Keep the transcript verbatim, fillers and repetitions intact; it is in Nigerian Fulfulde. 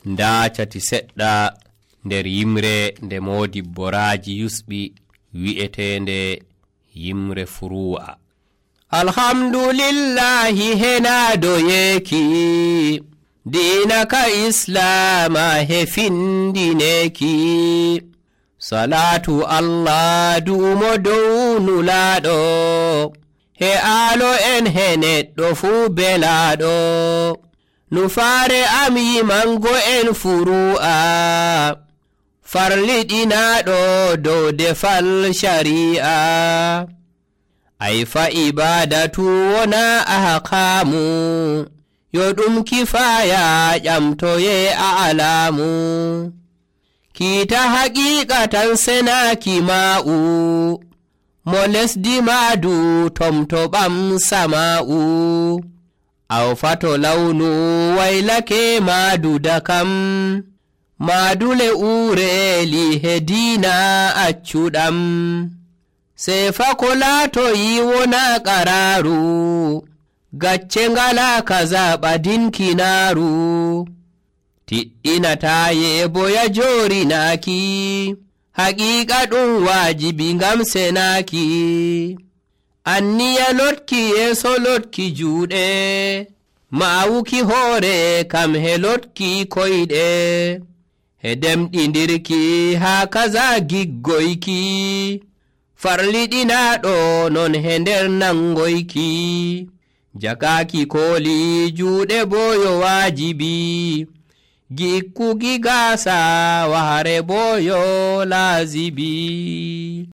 nda cati seɗɗa nder yimre nde Modibbo Raji yusɓi wi'etende yimre Furuwa. Alhamdulillahi henado yeki dina ka islama he findineki, salatu Allah dumo dow nulaɗo he alo en he neɗɗo fu belaɗo, nufare am yimango en Furu'a farliɗinaɗo dow defal shari'a. Ay fa ibadatu wona ahkamu yo ɗum kifaya ƴamtoye a'lamu, kita haqiqatan senaki ma'u mo lesdi madu tomto ɓam sama'u, aw fato lawnu waylake madu dakam madule ureli hedina accuɗam, sefa ko latoyi wona qararu gacce ngala kaza ɓadinkinaru, tiɗɗinataye boya jorinaki haqiqa ɗum wajibi ngam senaki, anniya lotki yeso lotki juuɗe ma'awuki hoore kam he lotki koyɗe, he demɗindirki ha kaza giggoyki farliɗinaɗo non he nder nangoyki, jakaki koli juuɗe boyo wajibi gikkugi gasa wahare boyo lazibi.